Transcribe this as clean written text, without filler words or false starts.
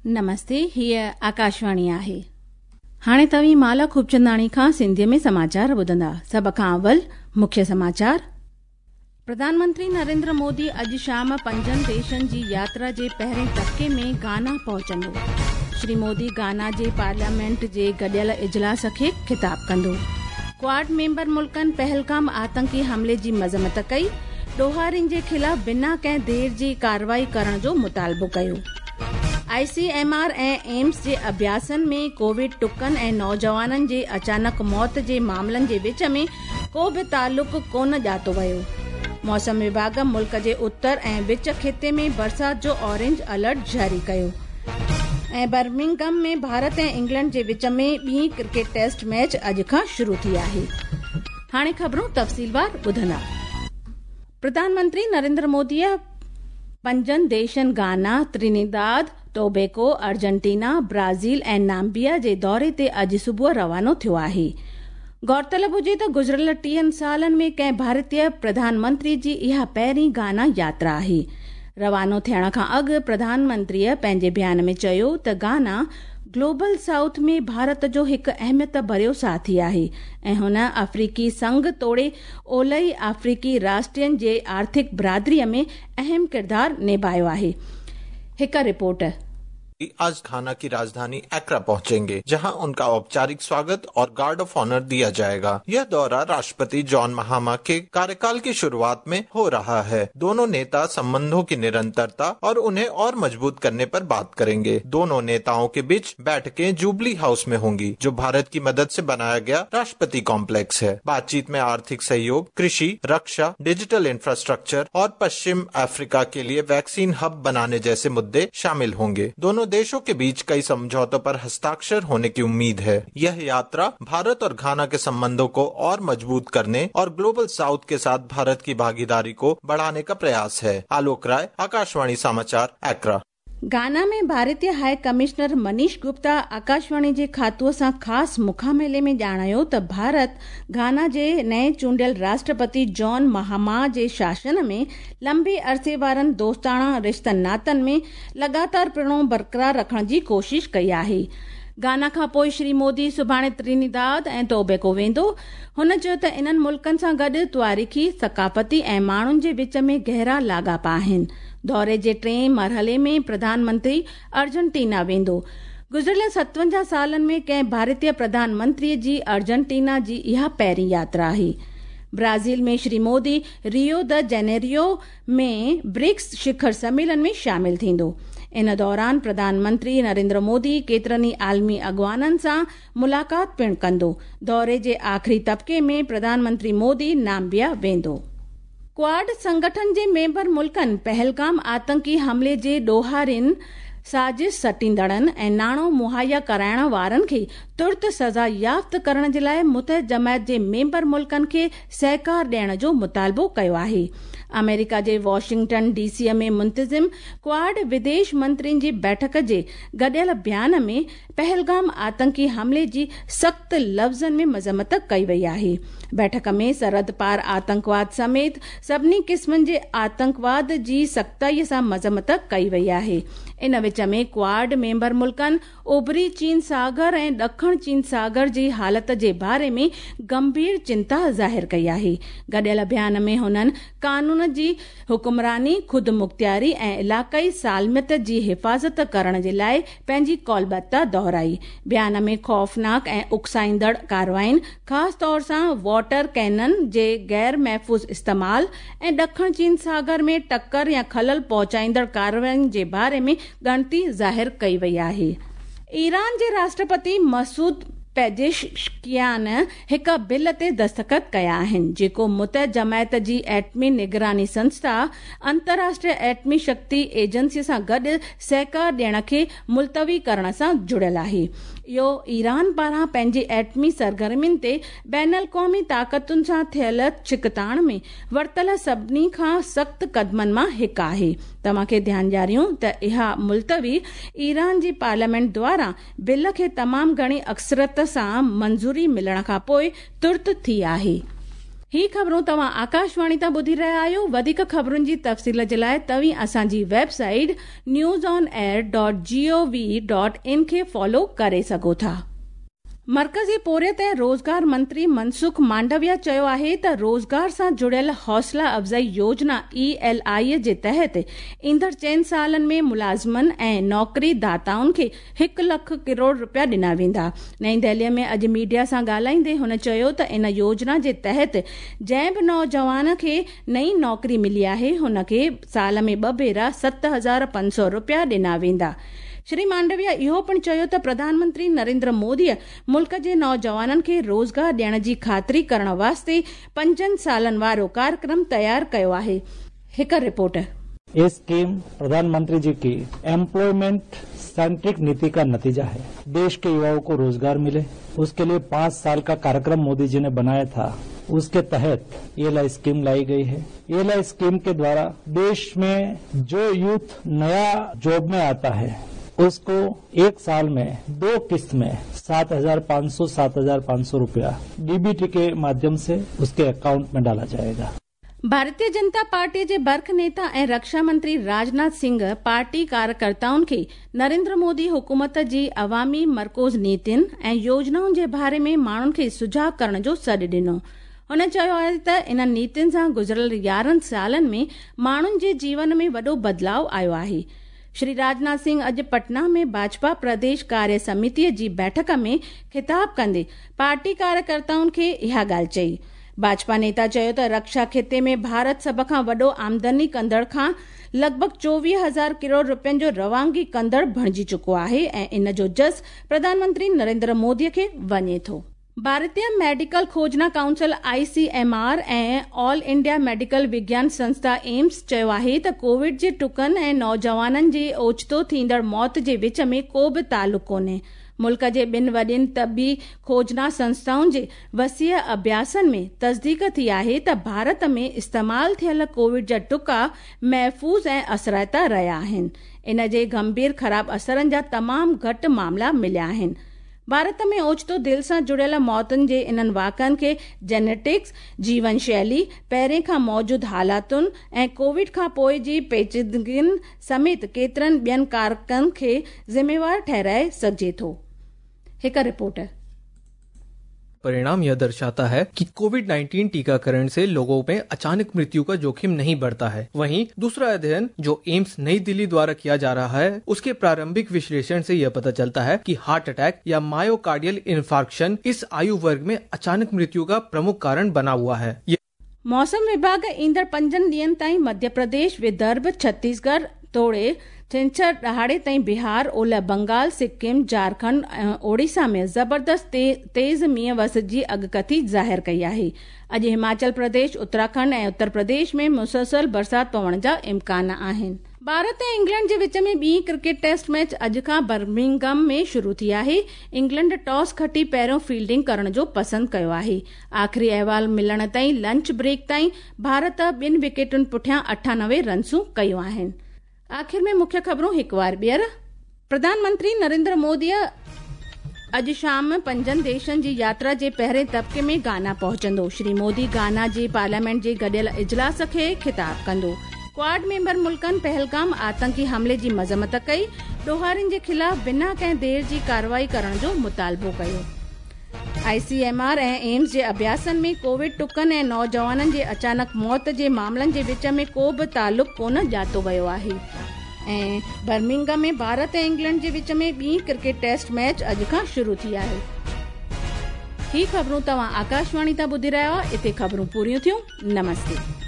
نمستي، هيء آڪاشواڻي آهي. هاڻي توهين مالا خوبچنداڻي کان سنڌيء ۾ سماچار ٻڌندا. سڀ کان اول مکيه سماچار. پرڌان منتري نريندر مودي اڄ شام پنجن ديشن جي ياترا جي پهرين طبقي ۾ گانا پهچندو. شري مودي گانا جي پارليامينٽ جي گڏيل اجلاس کي خطاب ڪندو. ڪواڊ ميمبر ملڪن پهلگام آتنڪي حملي جي مذمت ڪئي، ڏوهارين جي خلاف بنا ڪنهن دير جي ڪارروائي ڪرڻ جو مطالبو ڪيو. I C M R ۽ AIIMS جي اڀياسن ۾ ڪووڊ ٽڪن ۽ نوجوانن جي اچانڪ موت جي معاملن جي وچ ۾ ڪو به تعلق ڪونه ڄاتو ويو. موسم وڀاڳ ملڪ جي اتر ۽ وچ خطي ۾ برسات جو اورينج الرٽ جاري ڪيو. ۽ برمنگهم ۾ ڀارت ۽ انگلينڊ جي وچ ۾ ٻي ڪرڪيٽ ٽيسٽ ميچ اڄ کان شروع ٿي آهي. هاڻي خبرون تفصيلوار ٻڌندا. پرڌان منتري نريندر موديء پنجن ديشن گانا، ترينيداد، ٽوبيڪو، ارجنٽينا، برازيل ۽ نامبيا جي دوري تي اڄ صبح روانو ٿيو آهي. غور طلب هجي ته گذريل ٽيهن سالن ۾ ڪنهن ڀارتي پرڌان منتري جي اها پهرين گانا ياترا آهي. روانو ٿيڻ کان اڳ پرڌان منتريء پنهنجي بيان ۾ چيو ته گانا گلوبل سائوٿ ۾ ڀارت جو هڪ اهميت ڀريو ساٿي آهي ۽ هن آفريقي سنگهه توڙي اولهي آفريقي راشٽرن جي آرٿڪ برادري ۾ اهم ڪردار نڀايو آهي. هڪ رپورٽ. आज घाना की राजधानी एक्रा पहुंचेंगे, जहां उनका औपचारिक स्वागत और गार्ड ऑफ ऑनर दिया जाएगा। यह दौरा राष्ट्रपति जॉन महामा के कार्यकाल की शुरुआत में हो रहा है। दोनों नेता संबंधों की निरंतरता और उन्हें और मजबूत करने पर बात करेंगे। दोनों नेताओं के बीच बैठकें जुबली हाउस में होंगी, जो भारत की मदद से बनाया गया राष्ट्रपति कॉम्प्लेक्स है। बातचीत में आर्थिक सहयोग, कृषि, रक्षा, डिजिटल इंफ्रास्ट्रक्चर और पश्चिम अफ्रीका के लिए वैक्सीन हब बनाने जैसे मुद्दे शामिल होंगे। दोनों देशों के बीच कई समझौतों पर हस्ताक्षर होने की उम्मीद है। यह यात्रा भारत और घाना के संबंधों को और मजबूत करने और ग्लोबल साउथ के साथ भारत की भागीदारी को बढ़ाने का प्रयास है। आलोक राय, आकाशवाणी समाचार, एक्रा। گانا ۾ ڀارتي هاء ڪمشنر منيش گپتا آڪاشواڻي جي کاتوء سان خاص مکاميلي ۾ ڄاڻايو ته ڀارت گانا جي نئين چونڊيل راشٽرپتي جان مهاما جي شاسن ۾ لمبي عرصي وارن دوستاڻا رشتن ناتن ۾ لڳاتار پڻو برقرار رکڻ جي ڪوشش ڪئي آهي. گانا کان پوء شري مودي سڀاڻي ترينيداد ۽ ٽوبيڪو ويندو. هن چيو ته انهن ملڪن سان گڏ تواريخي، ثقافتي ۽ ماڻهن جي وچ ۾ گهرا لاڳاپا آهن. دوري جي ٽئين مرحلي ۾ پرڌان منتري ارجنٽينا ويندو. گذريل 57 سالن ۾ ڪنهن ڀارتي پرڌان منتري جي ارجنٽينا جي اها پهرين ياترا آهي. Brazil ۾ Shri Modi Rio de Janeiro ۾ BRICS شکر سميلن ۾ شامل ٿيندو. ان دوران پرڌان منتري نريندر مودي ڪيترن ئي عالمي اڳواڻن سان ملاقات پڻ ڪندو. دوري جي آخري طبقي ۾ پرڌان منتري مودي نامبيا ويندو. ڪواڊ سنگٺن جي ميمبر ملڪن پهلگام آتنڪي حملي جي ڏوهارين، سازش سٽيندڙن ۽ ناڻو مهيا ڪرائڻ وارن کي ترت سزا يافت ڪرڻ جي لاء متحد جماعت جي ميمبر ملڪن کي سهڪار ڏيڻ جو مطالبو ڪيو آهي. آمريڪا جي واشنگٽن ڊي سي ۾ منتظم ڪواڊ وديش منترين جي بيٺڪ جي گڏيل بيان ۾ پهلگام آتنڪي حملي جي سخت لفظن ۾ مذمت ڪئي وئي آهي. بيٺڪ ۾ سرحد پار آتنڪواد سميت سڀني قسمن جي آتنڪواد جي سختائي سان مذمت ڪئي وئي آهي. ان وچ ۾ ڪواڊ ميمبر ملڪن اوڀري چين ساگر ۽ ڏکڻ چين ساگر جي حالت جي باري ۾ گنڀير چنتا ظاهر ڪئي آهي. گڏيل بيان ۾ هنن قانون جي حڪمراني، خودمختياري ۽ علائقائي سالميت جي حفاظت ڪرڻ جي لاء پنهنجي قولبتا دهرائي. بيان ۾ خوفناڪ ۽ اڪسائيندڙ ڪارروائين، خاص طور سان واٽر ڪينن جي غير محفوظ استعمال ۽ ڏکڻ چين ساگر ۾ ٽڪر يا خلل پهچائيندڙ ڪارروائين جي باري ۾ ڳڻتي ظاهر ڪئي وئي آهي. ايران جي راشٽرپتي مسعود پيزشڪيان هڪ بل تي دستخط ڪيا آهن، جيڪو متحد جماعت جي ايٽمي نگراني سنسٿا، انترراشٽريه ايٽمي شڪتي ايجنسي سان گڏ سهڪار ڏيڻ کي ملتوي ڪرڻ سان جڙيل آهي. اهو ايران پاران پنهنجي ايٽمي سرگرمين تي بين الاقوامي طاقتن سان ٿيل ڇڪتاڻ ۾ ورتل سڀني کان سخت قدمن مان هڪ آهي. توهان کي ڌيان ڏياريون ته اها ملتوي ايران جي پارليامينٽ دواران بل کي تمام گهڻي اڪثريت سان منظوري ملڻ کان پوء ترت ٿي آهي. ही ख़बरूं तव्हां आकाशवाणी तां ॿुधी रहिया आहियो। वधीक ख़बरुनि जी तफ़सील जे लाइ तव्हीं असांजी वेबसाइट newsonair.gov.in खे फॉलो करे सघो था। मर्कज़ी पोरियत ऐं रोज़गार मंत्री मनसुख मांडविया चयो आहे त रोज़गार सां जुड़ियल हौसला अफ़ज़ाई योजना ELI जे तहत ईंदड़ 4 सालनि में मुलाज़िमनि ऐं नौकरी दाताउनि खे 1 लाख करोड़ रुपया ॾिना वेंदा। नई दिल्लीअ में अॼु मीडिया सां ॻाल्हाईंदे हुन चयो त इन योजना जे तहत जंहिं बि नौजवान खे नई नौकरी मिली आहे हुनखे साल में 2 भेरा 7,500 रुपया ॾिना वेंदा। श्री मांडविया इहो पिणु चयो त प्रधानमंत्री नरेंद्र मोदीअ मुल्क जे नौजवाननि खे रोज़गार ॾियण जी ख़ातिरी करण वास्ते 5 सालनि वारो कार्यक्रम तयारु कयो आहे। हिकु रिपोर्ट। ये स्कीम प्रधानमंत्री जी की एम्प्लॉयमेंट सेंट्रिक नीति का नतीजा है। देश के युवाओं को रोजगार मिले उसके लिए 5 साल का कार्यक्रम मोदी जी ने बनाया था, उसके तहत ये स्कीम लाई गई है। ये स्कीम के द्वारा देश में जो यूथ नया जॉब में आता है उसको 1 साल में 2 किस्त में 7,500 रुपया डीबीटी के माध्यम से उसके अकाउंट में डाला जाएगा। भारतीय जनता पार्टी जे बर्ख नेता ऐं रक्षा मंत्री राजनाथ सिंह पार्टी कार्यकर्ताउनि खे नरेंद्र मोदी हुकूमत जी अवामी मरकूज़ नीतियुनि ऐं योजनाउनि जे बारे में माण्हुनि खे सुझाव करण जो सॾु ॾिनो। हुन चयो आहे त इन्हनि नीतियुनि सां गुज़िरियल 11 सालनि में माण्हुनि जे जीवन में वॾो बदिलाव आयो आहे। श्री राजनाथ सिंह अॼु पटना में भाजपा प्रदेश कार्य समितीअ जी बैठक में खिताब कंदे पार्टी कार्यकर्ताउनि खे इहा ॻाल्हि चई। भाजपा नेता चयो त रक्षा खिते में भारत सभ खां वॾो आमदनी कंदड़ खां लॻभॻ 24,000 करोड़ रुपयनि जो रवानगी कंदड़ बणिजी चुको आहे ऐं इन जो जस प्रधानमंत्री नरेंद्र मोदीअ खे वञे थो। भारतीय मेडिकल खोजना काउंसिल ICMR ऐं ऑल इंडिया मेडिकल विज्ञान संस्था एम्स चयो आहे त कोविड जे टुकनि ऐं नौजवाननि जी ओचितो थींदड़ मौत जे विच में को बि तालुक कोन्हे। मुल्क जे ॿिनि वॾियुनि तबी खोजना संस्थाउनि जे वसीअ अभ्यासनि में तस्दीक थी आहे त भारत में इस्तेमाल थियल कोविड जा टुका महफ़ूज़ ऐं असराइता रहिया आहिनि। इन जे गंभीर ख़राब असरनि जा तमामु घटि मामला मिलिया आहिनि। भारत में ओचितो दिलि सां जुड़ियल मौतुनि जे इन्हनि वाक़इनि खे जेनेटिक्स, जीवन शैली, पहिरें खां मौजूद हालातुनि ऐं कोविड खां पोइ जी पेचीदगियुनि समेत केतिरनि ॿियनि कारकनि खे ज़िम्मेवार ठहिराए सघिजे थो। हिकु रिपोर्ट। परिणाम यह दर्शाता है कि कोविड-19 टीकाकरण से लोगों में अचानक मृत्यु का जोखिम नहीं बढ़ता है। वहीं दूसरा अध्ययन जो एम्स नई दिल्ली द्वारा किया जा रहा है उसके प्रारंभिक विश्लेषण से यह पता चलता है कि हार्ट अटैक या मायोकार्डियल इन्फार्क्शन इस आयु वर्ग में अचानक मृत्यु का प्रमुख कारण बना हुआ है। मौसम विभाग ईंदड़ 5 ॾींहनि ताईं मध्य प्रदेश, विदर्भ, छत्तीसगढ़ तोड़े छंछर ॾहाड़े ताईं बिहार, ओलह बंगाल, सिक्किम, झारखंड ऐं ओडिशा में ज़बरदस्त तेज़ मींहुं वस जी अॻकथी ज़ाहिर कई आहे। अॼु हिमाचल प्रदेश, उत्तराखंड ऐं उत्तर प्रदेश में मुसलसल बरसाति पवण जा इम्कान आहिनि। भारत ऐं इंग्लैंड जे विच में ॿी क्रिकेट टेस्ट मैच अॼु खां बर्मिंघम में शुरू थी आहे। इंग्लैंड टॉस खटी पहिरियों फील्डिंग करण जो पसंदि कयो आहे। आख़िरी अहवाल मिलण ताईं लंच ब्रेक ताईं भारत 2 विकेटुनि पुठियां 98 रनसूं कयूं आहिनि। आख़िर में मुख्य ख़बरूं हिकु वार ॿीहर। प्रधानमंत्री नरेंद्र मोदी अॼु शाम 5 देशनि जी यात्रा जे पहिरें तबिके में गाना पहुचंदो। श्री मोदी गाना जे पार्लियामेंट जे गॾियल इजलास खे खिताब कंदो। क्वाड मेंबर मुल्कनि पहलगाम आतंकी हमले जी मज़म्मत कई, ॾोहारियुनि जे ख़िलाफ़ बिना कंहिं देरि जी कार्रवाई करण जो मुतालबो कयो। ICMR ऐं एम्स जे अभ्यासनि में कोविड टुकनि ऐं नौजवाननि जे अचानक मौत जे मामलनि जे विच में को बि तालुक कोन ॼातो वियो आहे। ऐं बर्मिंघम में भारत ऐं इंग्लैंड जे विच में ॿी क्रिकेट टेस्ट मैच अॼु खां शुरू थी आहे। ही ख़बरूं तव्हां आकाशवाणी तां ॿुधी रहिया आहियो। हिते ख़बरूं पूरियूं थियूं। नमस्ते।